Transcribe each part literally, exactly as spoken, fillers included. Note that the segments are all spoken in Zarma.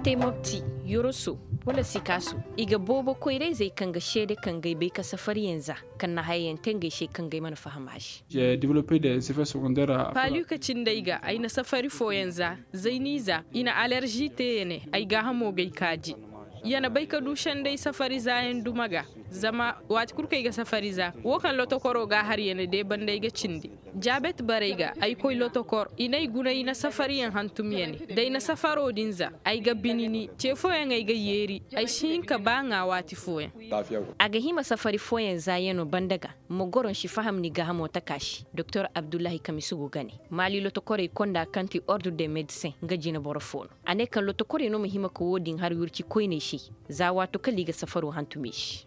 Te mopti, yoroso, wala sikaaso, i ga boobo koyra-izey kaŋ ga seede kaŋ ga ay bay ka safariyaŋ za, kaŋ na hayayaŋ te ngey se kaŋ ga ay mana faham a se. Paluka cindey ga ay na safari fooyaŋ za, zayni za, i na alerzi te ya ne, ay gaahamo ga ay kaaji. Ya na bay ka du senday safari zaayaŋ duma ga. Zama waati kulu kaŋ ay ga safari za, wo kaŋ lotokoro ga a har ya na deebandi ay ga cindi. Jaabet barey ga ay koy lotokor, i n'ay guna i na safariyaŋ hantum ya ne, da ay na safaro din za, ay ga binini ce fooyaŋ ay ga yeeri. Ay si hin ka ba ŋwa waati fooyaŋ. A ga hima safari fooyaŋ za ya no banda ga, ma goro nsi faham ni gaahamo taka se. Doktor abdullahi kamisu go ga ne, maali lotokorey konda kaŋ ti ordre de medecin nga jina boro fo no. A ne kaŋ lotokorey no ma hima ka wo- din har wirci koyney se, za waato kala i ga safaro hantum i se.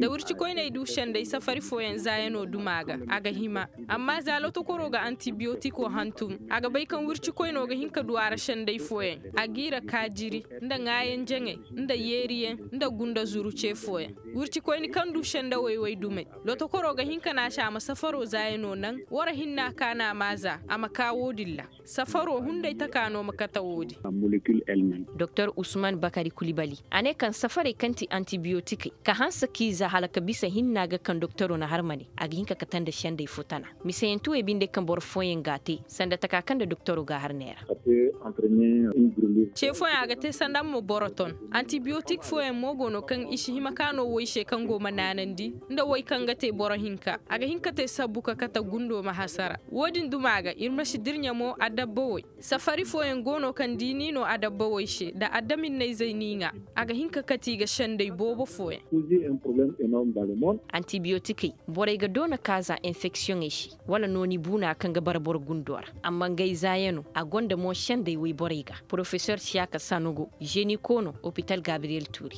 Da wirci koyney du senday safari fooyaŋ za ya no duma ga, a ga hima. Amma za lotokoro ga antibiyotiko hantum, a ga bay kaŋ wirci koyno ga hin ka du a ra senday fooyaŋ, a g'i ra kaajiri, nda ŋwaayaŋ jaŋay, nda yeeriyaŋ, nda gunda zuru ce fooyaŋ. Wirci koyni kaŋ du senda wayway dumey, lotokoro ga hin ka naasi a ma safaro za ya no naŋ. Wara hinna ka no a ma za a ma ka wo- din ra. Safaro hunday taka no ma kate wo- din. Doktor usman bakari kulibali, a ne kaŋ safarey kaŋ ti antibiyotikey ka hanse k'i za hala ka bisa hinna ga kaŋ doktoro na har ma ne, a ga hin ka kate nda sendey fo tana. Misayanti wey binde kaŋ boro fooyaŋ ga a te sanda taka kaŋ nda doktoro ga a har neera. Ce fooyaŋ a ga te sanda ma boro ton. Antibiyotik fooyaŋ mo go no kaŋ i si hima ka no way se kaŋ go ma naanandi, nda way kaŋ ga te boro hinka, a ga hin ka te sabbu ka kate gundo ma hasara. Wo- din duma ga iri ma si dirɲa mo adabba way. Safari fooyaŋ go no kaŋ da i n'i no adabba way se, da adaminnayzey n'i ŋwa, a ga hin ka kate i ga senday boobo fooyaŋ. Antibiyotikey, borey ga doona ka za enfeksiyoŋey se, wala nooni buuna kaŋ ga bara boro gundo ra. Amma ngey za ya no a gonda mo sendey wayborey ga. Porofesor siyaka sanogo, zeniko no opital gabriyel tuuri.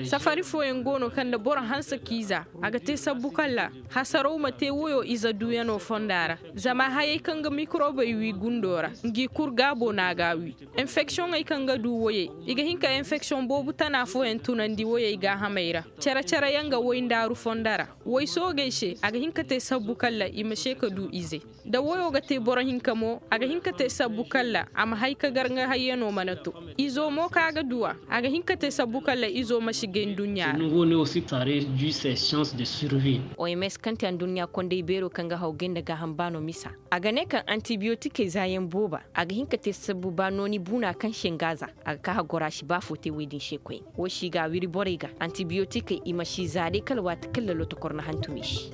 Safari fooyaŋ go no kaŋ da boro hanse k'i za, a ga te sabbu kala hasaraw ma te wayo ize duyano fonda ra. Zama hayey kaŋ ga mikorobey wi gundo ra, ngi kulu gaabo no a ga a wi. Enfeksiyoŋey kaŋ ga du wayey, i ga hin ka enfeksiyoŋ boobo tana fooyaŋ tunandi wayey gaahamey ra. Care-care yaŋ ga way ndaaru fonda ra. Way soogey se, a ga hin ka te sabbu kala i ma se ka du ize. Da wayo ga te boro hinka mo, a ga hin ka te sabbu kala a ma hay ka gar nga hayyano mana to. Izo mo kaŋ a ga du a, a ga hin ka te sabbu kala izo ma si gay nduɲɲa ra. Oms kaŋ ti anduɲɲa kondey beero kaŋ ga haw gay nda gaaham baano misa, a ga ne kaŋ antibiyotikey zaayaŋ booba, a ga hin ka te sabbu ba nooni buuna kaŋ se nga za, a ga ka hagora si ba fo te woy din se koyne. Wo si ga a wiri borey ga antibiyotikey i ma si za day kala waati kaŋ lalo tokor na hantum i se.